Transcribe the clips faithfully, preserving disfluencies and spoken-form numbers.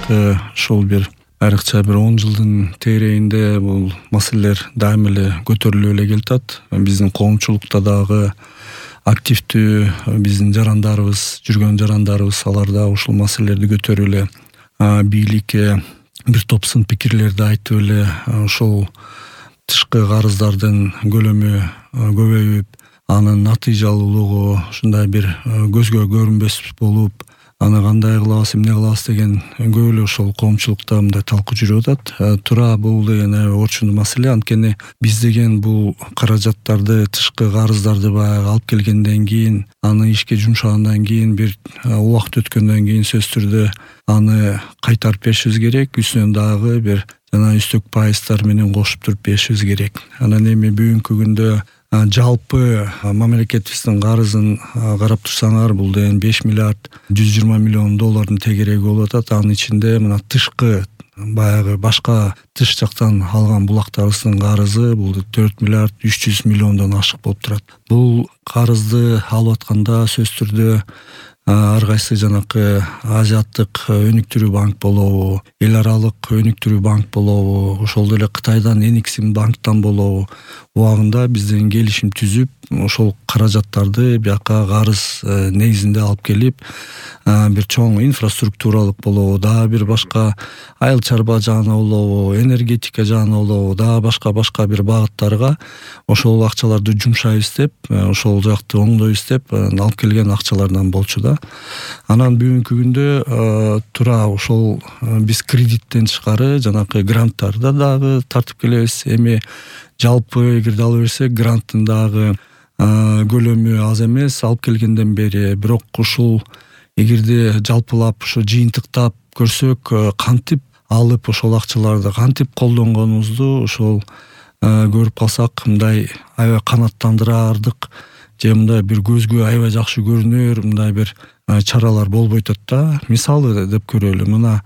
жанакы ушул бир айрыкча бир он жылдын тегерегинде бул маселелер дайым эле көтөрүлүп эле келатат. Биздин коомчулукта дагы активдүү биздин жарандарыбыз, жүргөн жарандарыбыз алар да ушул маселелерди көтөрүп эле бийликке бир топ сын пикирлерди айтып эле ошол тышкы карыздардын көлөмү көбөйүп, анын натыйжалуулугу ушундай бир көзгө көрүнбөс болуп, аны кандай кылабыз, эмне кылабыз деген көп эле ошол коомчулукта мындай талкуу жүрүп атат. Туура бул деген аябай орчундуу маселе. Анткени биз деген бул каражаттарды, тышкы карыздарды баягы алып келгенден кийин, аны ишке жумшагандан кийин, бир убакыт өткөндөн кийин сөзсүз түрдө аны кайтарып беришибиз керек. Үстүнөн дагы бир жана үстөк пайыздар менен кошуп туруп беришибиз керек. Анан эми бүгүнкү күндө жалпы мамлекетибиздин карызын карап турсаңар, бул деген беш миллиард жүз жыйырма миллион доллардын тегереги болуп атат. Анын ичинде мына тышкы баягы башка тыш жактан алган булактарыбыздын карызы бул төрт миллиард үч жүз миллиондон ашык болуп турат. Бул карызды алып атканда сөзсүз түрдө ар кайсы жанакы Азиаттык өнүктүрүү банк болобу, эл аралык өнүктүрүү банк болобу, ошол деле Кытайдан Энексим банктан болобу, убагында бизден келишим түзүп, ошол каражаттарды бияка карыз негизинде алып келип, бир чоң инфраструктуралык болобу, дагы бир башка айыл чарба жагына болобу, энергетика жагына болобу, дагы башка башка бир багыттарга ошол акчаларды жумшайбыз деп, ошол жакты оңдойбуз деп алып келген акчалардан болчу да. Анан бүгүнкү күндө туура ошол биз кредиттен тышкары жанакы гранттарды дагы тартып келебиз. Эми жалпы эгерде ала берсек, гранттын дагы көлөмү аз эмес алып келгенден бери. Бирок ушул эгерде жалпылап ушу жыйынтыктап көрсөк, кантип алып ошол акчаларды кантип колдонгонубузду ошол көрүп калсак, мындай аябай канааттандырардык же мындай бир көзгө аябай жакшы көрүнөр мындай бир чаралар болбой атат да. Мисалы деп көрөлү, мына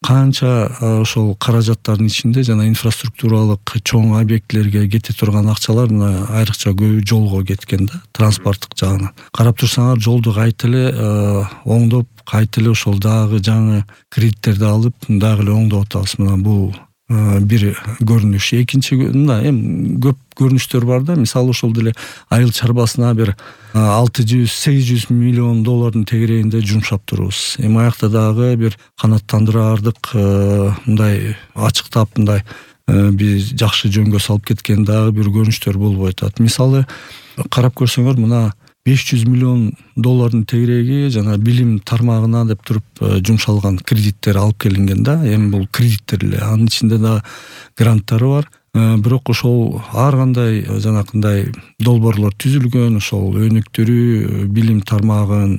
канча ошол каражаттардын ичинде жана инфраструктуралык чоң объектилерге кете турган акчалар мына айрыкча көп жолго кеткен да, транспорттук жагынан. Карап турсаңар, жолду кайта эле оңдоп, кайта эле ошол дагы жаңы кредиттерди алып, дагы эле оңдоп атабыз. Мына бул бир көрүнүш. Экинчи мына эми көп көрүнүштөр бар да. Мисалы ошол деле айыл чарбасына бир алты жүз сегиз жүз миллион доллардын тегерегинде жумшап турубуз. Эми аякта дагы бир канааттандырардык мындай ачыктап мындай бир жакшы жөнгө салып кеткен дагы бир көрүнүштөр болбой атат. Мисалы карап көрсөңөр, мына беш жүз миллион доллардын тегереги жана билим тармагына деп туруп жумшалган кредиттер алып келинген да. Эми бул кредиттер эле, анын ичинде да гранттары бар. Бирок ошол ар кандай жанакындай долбоорлор түзүлгөн, ошол өнүктүрүү, билим тармагын,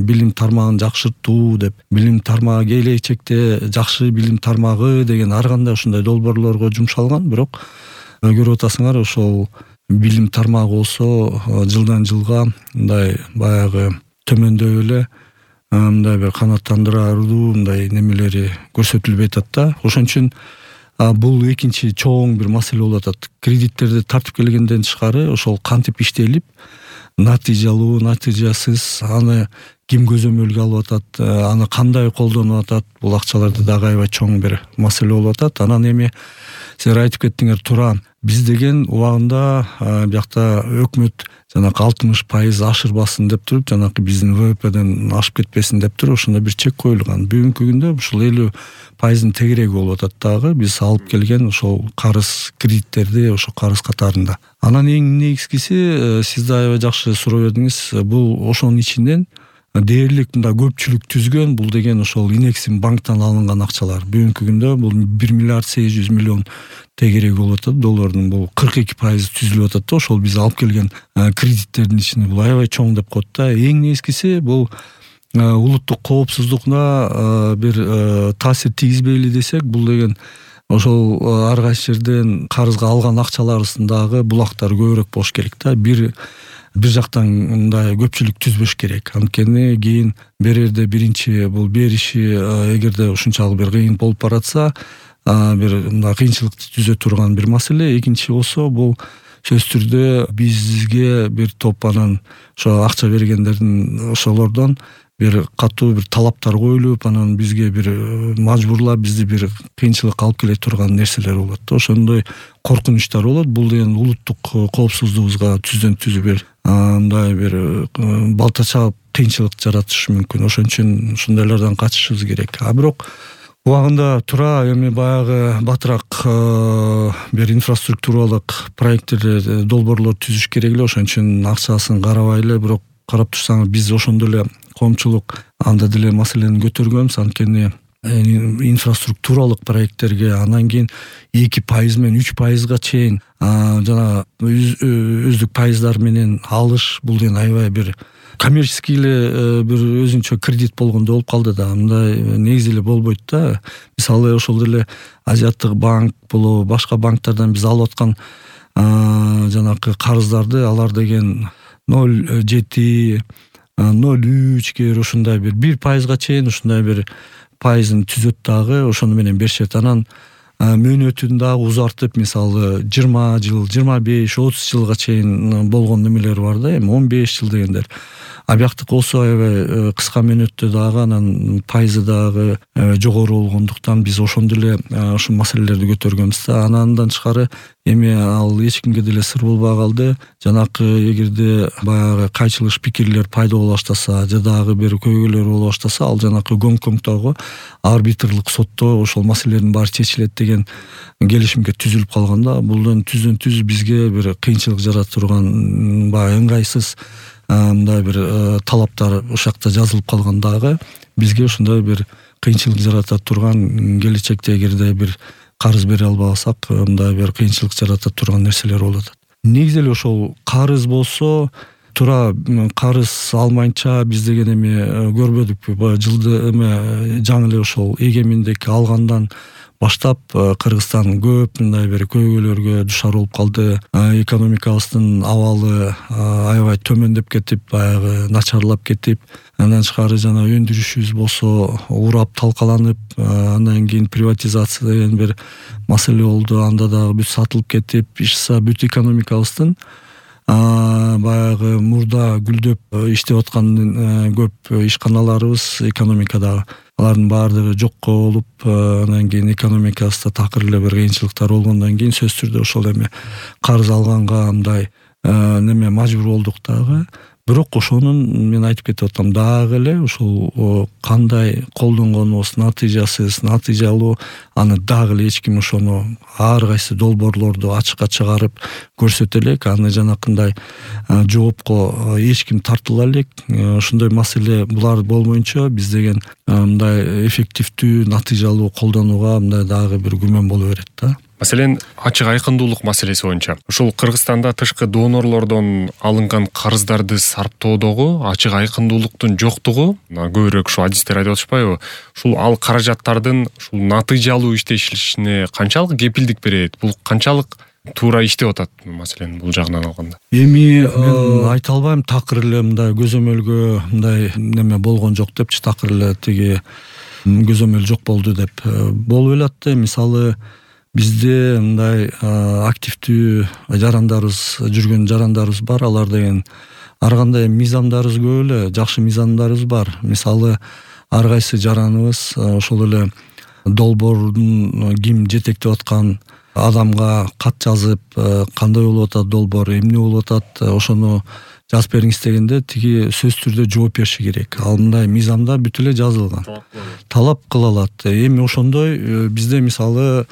билим тармагын жакшыртуу деп, билим тармагы келечекте жакшы билим тармагы деген ар кандай ушундай долбоорлорго жумшалган. Бирок көрүп атасыңар, ошол билим тармагы болсо жылдан жылга мындай баягы төмөндөп эле мындай бир канааттандырардуу мындай немелери көрсөтүлбөй атат да. Ошон үчүн бул экинчи чоң бир маселе болуп атат. Кредиттерди тартып келгенден тышкары ошол кантип иштелип, натыйжалуу, натыйжасыз, аны ким көзөмөлгө алып атат, аны кандай колдонуп атат, бул акчаларды дагы аябай чоң бир маселе болуп атат. Анан эми силер айтып кеттиңер, туура биз деген убагында биякта өкмөт жанакы алтымыш пайыз ашырбасын деп туруп, жанакы биздин вэ вэ пэден ашып кетпесин деп туруп ошондой бир чек коюлган. Бүгүнкү күндө ушул элүү пайыздын тегереги болуп атат дагы биз алып келген ошол карыз кредиттерди ошо карыз катарында. Анан эң негизгиси, сиз да аябай жакшы суроо бердиңиз, бул ошонун ичинен дээрлик мындай көпчүлүк түзгөн бул деген ошол Энексим банктан алынган акчалар. Бүгүнкү күндө бул бир миллиард сегиз жүз миллион тегереги болуп атат доллардын. Бул кырк эки пайыз түзүлүп атат да. Ошол биз алып келген кредиттердин ичинде бул аябай чоң деп коет да. Эң негизгиси бул улуттук коопсуздугуна бир таасир тийгизбейли десек, бул деген ошол ар кайсы жерден карызга алган акчаларыбыздагы булактар көбүрөөк болуш керек да. Бир бир жактан мындай көпчүлүк түзбөш керек. Анткени кийин берерде биринчи бул бериши эгерде ушунчалык бир кыйын болуп баратса, бир мындай кыйынчылыкты түзө турган бир маселе. Экинчи болсо, бул сөзсүз түрдө бизге бир топ анан ошо акча бергендердин ошолордон бир катуу бир талаптар коюлуп, анан бизге бир мажбурлап бизди бир кыйынчылыкка алып келе турган нерселер болот да. Ошондой коркунучтар болот. Бул деген улуттук коопсуздугубузга түздөн түз бир мындай бир балта чаап кыйынчылык жаратышы мүмкүн. Ошон үчүн ушундайлардан качышыбыз керек. А бирок убагында тура эми баягы батыраак бир инфраструктуралык проекттер, долбоорлор түзүш керек эле. Ошон үчүн акчасын карабай эле, бирок карап турсаңыз биз ошондой эле коомчулук анда деле маселени көтөргөнбүз. Анткени инфраструктуралык проекттерге анан кийин эки пайыз менен үч пайызга чейин жана өздүк пайыздар менен алыш, бул деген аябай бир коммерческий эле бир өзүнчө кредит болгондой болуп калды да. Мындай негизи эле болбойт да. Мисалы ошол деле Азиаттык банк болобу, башка банктардан биз алып аткан жанакы карыздарды алар деген ноль жети ноль үч кээ бир ушундай бир бир пайызга чейин ушундай бир пайызын түзөт дагы, ошону менен беришет. Анан мөөнөтүн дагы узартып, мисалы жыйырма жыл, жыйырма беш, отуз жылга чейин болгон немелер бар да, эми он беш жыл дегендер. А бияктыкы болсо аябай кыска мөөнөттө дагы анан пайызы дагы жогору болгондуктан биз ошондо эле ушул маселелерди көтөргөнбүз да. Анан тышкары эми ал эч кимге деле сыр болбой калды. Жанакы эгерде баягы кайчылыш пикирлер пайда боло баштаса, же дагы бир көйгөйлөр боло баштаса, ал жанакы Гонконгдогу арбитрлык сотто ошол маселелердин баары чечилет деген келишимге түзүлүп калган да. Булдан түздөн түз бизге бир кыйынчылык жарата турган баягы ыңгайсыз мындай бир талаптар ошол жакта жазылып калган дагы бизге ушундай бир кыйынчылык жарата турган, келечекте эгерде бир карыз бере албасак мындай бир кыйынчылык жарата турган нерселер болот. Негизи эле ошол карыз болсо, туура карыз алмайынча биз деген эми көрбөдүкпү. Жылды эме жаңы эле ошол эгемендик алгандан баштап Кыргызстан көп мындай бир көйгөйлөргө душар болуп калды. Экономикабыздын абалы аябай төмөндөп кетип, баягы начарлап кетип, андан тышкары жана өндүрүшүбүз болсо урап талкаланып, андан кийин приватизация деген бир маселе болду. Анда дагы бүт сатылып кетип, ишса бүт экономикабыздын баягы мурда гүлдөп иштеп аткан көп ишканаларыбыз экономикадагы алардын баардыгы жокко болуп, анан кийин экономикабызда такыр эле бир кыйынчылыктар болгондон кийин сөзсүз түрдө ошол эми карыз алганга мындай неме мажбур болдук дагы. Бирок ошонун мен айтып кетип атам дагы эле ошол кандай колдонгонубуз натыйжасыз, натыйжалуу, аны дагы эле эч ким ошону ар кайсы долбоорлорду ачыкка чыгарып көрсөтө элек, аны жанакындай жоопко эч ким тартыла элек. Ошондой маселе булар болмоюнча биз деген мындай эффективдүү, натыйжалуу колдонууга мындай дагы бир күмөн боло берет да. Маселен, ачык айкындуулук маселеси боюнча ушул Кыргызстанда тышкы донорлордон алынган карыздарды сарптоодогу ачык айкындуулуктун жоктугу, көбүрөөк ушул адистер айтып атышпайбы? Ушул ал каражаттардын ушул натыйжалуу иштешине канчалык кепилдик берет? Бул канчалык туура иштеп атат маселен бул жагынан алганда? Эми мен айта албайм такыр эле мындай көзөмөлгө мындай неме болгон жок депчи, такыр эле тиги көзөмөл жок болду деп. Болуп эле атты. Мисалы бизде мындай активдүү жарандарыбыз, жүргөн жарандарыбыз бар. Алар деген ар кандай мыйзамдарыбыз көп эле, жакшы мыйзамдарыбыз бар. Мисалы ар кайсы жараныбыз ошол эле долбоордун ким жетектеп аткан адамга кат жазып, кандай болуп атат долбоор, эмне болуп атат, ошону жазып бериңиз дегенде тиги сөзсүз түрдө жооп бериши керек. Ал мындай мыйзамда бүт эле жазылган. Талап кыла алат. Эми ошондой бизде мисалы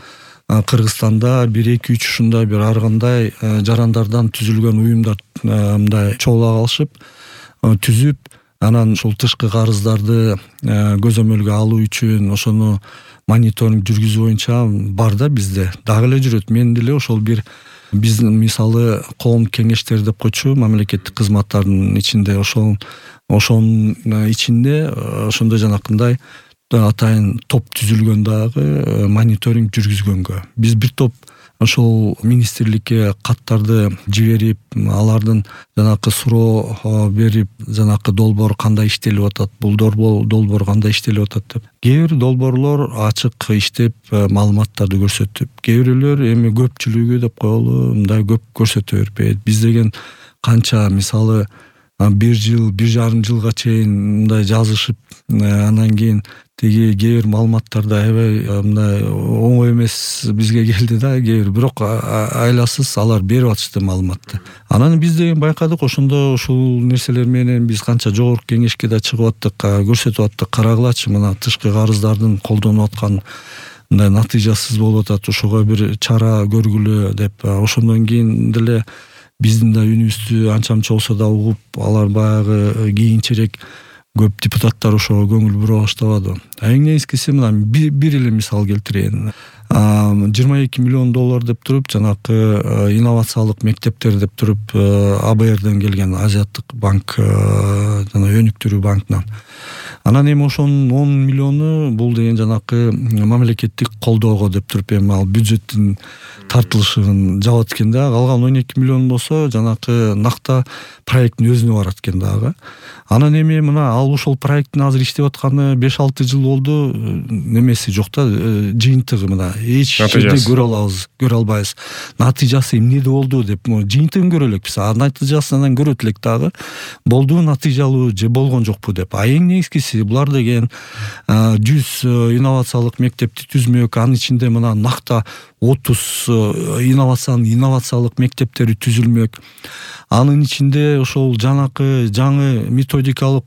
Кыргызстанда бир эки үч ушундай бир ар кандай жарандардан түзүлгөн уюмдар мындай чогула калышып, түзүп, анан ушул тышкы карыздарды көзөмөлгө алуу үчүн ошону мониторинг жүргүзүү боюнча бар да бизде. Дагы эле жүрөт. Мен деле ошол бир биздин мисалы коом кеңештери деп койчу, мамлекеттик кызматтардын ичинде ошол ошонун ичинде ошондой жанакындай атайын топ түзүлгөн дагы мониторинг жүргүзгөнгө. Биз бир топ ошол министрликке каттарды жиберип, алардын жанакы суроо берип, жанакы долбоор кандай иштелип атат, бул долбоор кандай иштелип атат деп. Кээ бир долбоорлор ачык иштеп маалыматтарды көрсөтүп, кээ бирөөлөр эми көпчүлүгү деп коелу мындай көп көрсөтө бербейт. Биз деген канча мисалы бир жыл, бир жарым жылга чейин мындай жазышып, анан кийин тиги кээ бир маалыматтарды аябай мындай оңой эмес бизге келди да, кээ бир, бирок айласыз алар берип атышты маалыматты. Анан биз деген байкадык, ошондо ушул нерселер менен биз канча жогорку кеңешке да чыгып аттык, көрсөтүп аттык, карагылачы мына тышкы карыздардын колдонуп аткан мындай натыйжасыз болуп атат, ошого бир чара көргүлө деп. Ошондон кийин деле биздин да үнүбүздү анча мынча болсо да угуп, алар баягы кийинчерээк көп депутаттар ошого көңүл бура баштабады. Эң негизгиси мына бир эле мисал келтирейин. жыйырма эки миллион доллар деп туруп, жанакы инновациялык мектептер деп туруп, А Б Рден келген, Азиаттык банк, жана өнүктүрүү банкынан. Анан эми ошонун он миллиону бул деген жанакы мамлекеттик колдоого деп туруп, эми ал бюджеттин тартылышын жабат экен да. Калган он эки миллион болсо жанакы накта проекттин өзүнө барат экен дагы. Анан эми мына ал ошол проекттин азыр иштеп атканы беш алты жыл болду, немеси жок да, жыйынтыгы мына эч жерде көрө алабыз, көрө албайбыз. Натыйжасы эмнеде болду деп, жыйынтыгын көрө элекпиз, а натыйжасын анан көрөт элек дагы. Болду натыйжалуу же болгон жокпу деп. А эң негизгиси булар деген жүз инновациялык мектепти түзмөк, анын ичинде мына накта отуз инновациянын инновациялык мектептери түзүлмөк. Анын ичинде ошол жанакы жаңы методикалык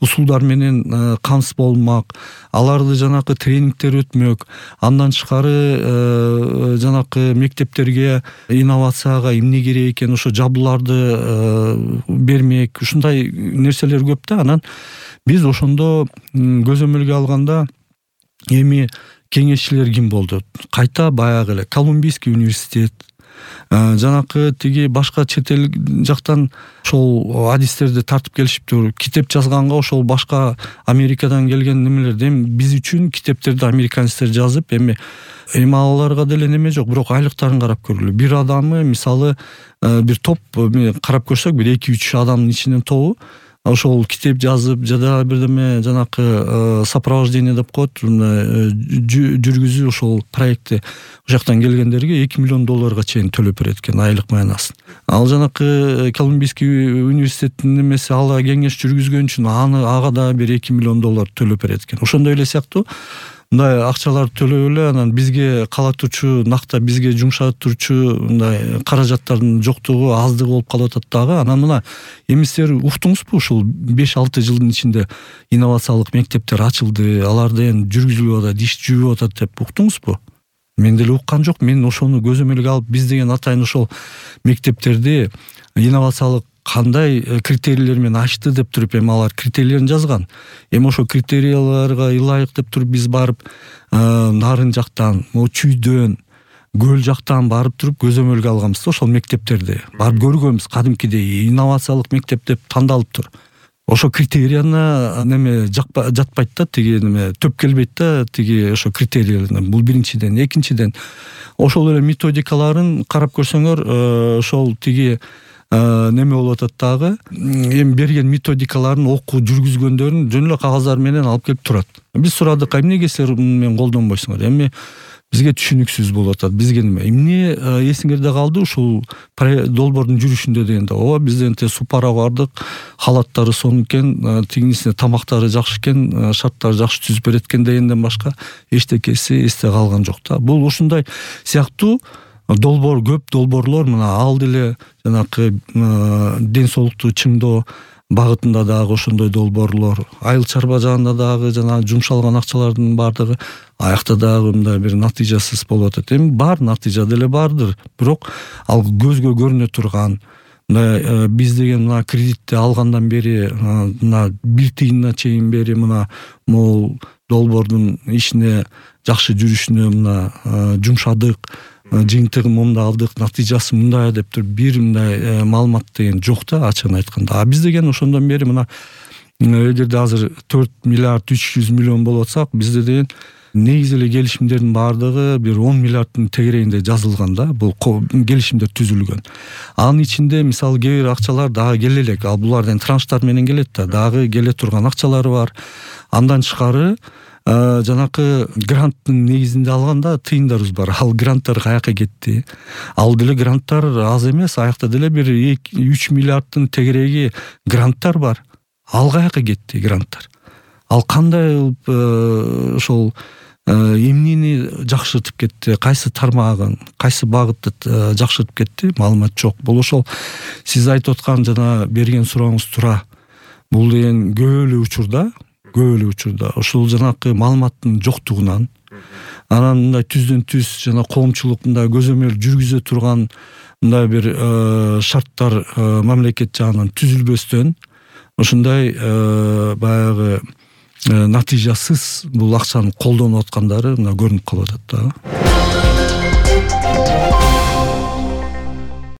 усулдар менен камсыз болмак, аларды жанакы тренингтер өтмөк. Андан тышкары жанакы мектептерге инновацияга эмне керек экен, ошо жабдууларды бермек. Ушундай нерселер көп да. Анан биз ошондо көзөмөлгө алганда эми кеңешчилер ким болду? Кайта баягы эле Колумбийский университет, жанакы тиги башка чет эл жактан ошол адистерди тартып келишиптир. Китеп жазганга ошол башка Америкадан келген немелерди, эми биз үчүн китептерди американецтер жазып, эми эми аларга деле неме жок, бирок айлыктарын карап көргүлө. Бир адамы мисалы бир топ карап көрсөк, бир эки үч адамдын ичинен тобу ошол китеп жазып, жада бирдеме жанакы сопровождение деп коет, жүргүзүү ошол проектти ошол жактан келгендерге эки миллион долларга чейин төлөп берет экен айлык маянасын. Ал жанакы Колумбийский университеттин немеси ала кеңеш жүргүзгөн үчүн аны ага да бир эки миллион доллар төлөп берет экен. Ошондой эле сыяктуу мындай акчаларды төлөп эле анан бизге кала турчу, накта бизге жумшап турчу мындай каражаттардын жоктугу, аздыгы болуп калып атат дагы. Анан мына эми силер уктуңузбу, ушул беш алты жылдын ичинде инновациялык мектептер ачылды, аларды эми жүргүзүлүп атат, иш жүрүп атат деп уктуңузбу? Мен деле уккан жок. Мен ошону көзөмөлгө алып, биз деген атайын ошол мектептерди инновациялык кандай критерийлер менен ачты деп туруп, эми алар критерийлерин жазган. Эми ошо критерийлерге ылайык деп туруп биз барып нарын жактан, Чүйдөн, Көл жактан барып туруп көзөмөлгө алганбыз да ошол мектептерди. Барып көргөнбүз, кадимкидей инновациялык мектеп деп тандалыптыр. Ошо критерияны неме жатпайт да, тиги неме төп келбейт да, тиги ошо критерийлерден. Бул биринчиден, экинчиден ошол эле методикаларын карап көрсөңөр, ошол тиги неме болуп атат дагы, эми берген методикаларын окуу жүргүзгөндөрүн жөн эле кагаздар менен алып келип турат. Биз сурадык, эмнеге силер менен колдонбойсуңар? Эми бизге түшүнүксүз болуп атат. Бизге неме? Эмне эсиңерде калды ушул долбоордун жүрүшүндө дегенде? Ооба, бизден те супара бардык, халаттары сонун экен, тигинисине тамактары жакшы экен, шарттары жакшы түзүп берет экен дегенден башка эчтекеси эсте калган жок да. Бул ушундай сыяктуу долбоор, көп долбоорлор мына ал деле жанакы ден соолукту чыңдоо багытында дагы ошондой долбоорлор, айыл чарба жагында дагы жана жумшалган акчалардын бардыгы аякта дагы мындай бир натыйжасыз болуп атат. Эми бар натыйжа деле бардыр, бирок ал көзгө көрүнө турган мына биз деген мына кредитти алгандан бери мына бир тыйынына чейин бери мына могул долбоордун ишине жакшы жүрүшүнө мына жумшадык, жыйынтыгын мындай алдык, натыйжасы мындай деп туруп бир мындай маалымат деген жок да, ачыгын айтканда. А биз деген ошондон бери мына эгерде азыр төрт миллиард үч жүз миллион болуп атсак, бизде деген негизи эле келишимдердин баардыгы бир он миллиарддын тегерегинде жазылган да, бул келишимдер түзүлгөн. Анын ичинде мисалы кээ бир акчалар дагы келе элек, ал булардын транштар менен келет да, дагы келе турган акчалары бар. Андан тышкары жанакы гранттын негизинде алганда тыйындарыбыз бар. Ал гранттар каяка кетти? Ал деле гранттар аз эмес, аякта деле бир үч миллиарддын тегереги гранттар бар. Ал каяка кетти гранттар? Ал кандай ошол эмнени жакшыртып кетти, кайсы тармагын, кайсы багытты жакшыртып кетти, маалымат жок. Бул ошол сиз айтып аткан жана берген сурооңуз туура. Бул деген көп эле учурда көп эле учурда ошол жанакы маалыматтын жоктугунан, анан мындай түздөн түз жана коомчулук мындай көзөмөл жүргүзө турган мындай бир шарттар мамлекет жагынан түзүлбөстөн ушундай баягы натыйжасыз бул акчаны колдонуп аткандары мына көрүнүп калып атат да.